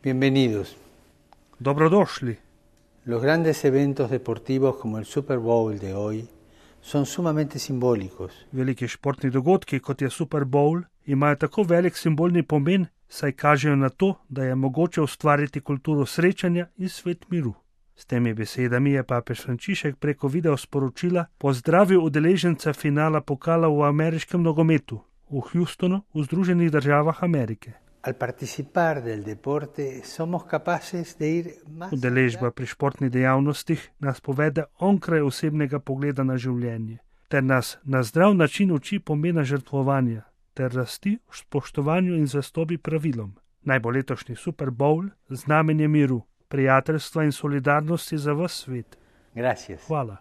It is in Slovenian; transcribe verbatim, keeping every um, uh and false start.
Bienvenidos. Dobrodošli. Los grandes eventos deportivos como el Super Bowl de hoy son sumamente simbólicos. Veliki športni dogodki, kot je Super Bowl, imajo tako velik simbolni pomen, saj kažejo na to, da je mogoče ustvariti kulturo srečanja in svet miru. S temi besedami je papež Frančišek preko video sporočila pozdravil udeležence finala pokala v ameriškem nogometu v Houstonu v Združenih državah Amerike. Al participar del deporte somos capaces de ir más Udeležba pri športnih dejavnostih nas povede onkraj osebnega pogleda na življenje, ter nas na zdrav način uči pomena žrtvovanja, ter rasti v spoštovanju in zvestobi pravilom. Naj bo letošnji Super Bowl znamenje miru, prijateljstva in solidarnosti za ves svet. Gracias. Hvala.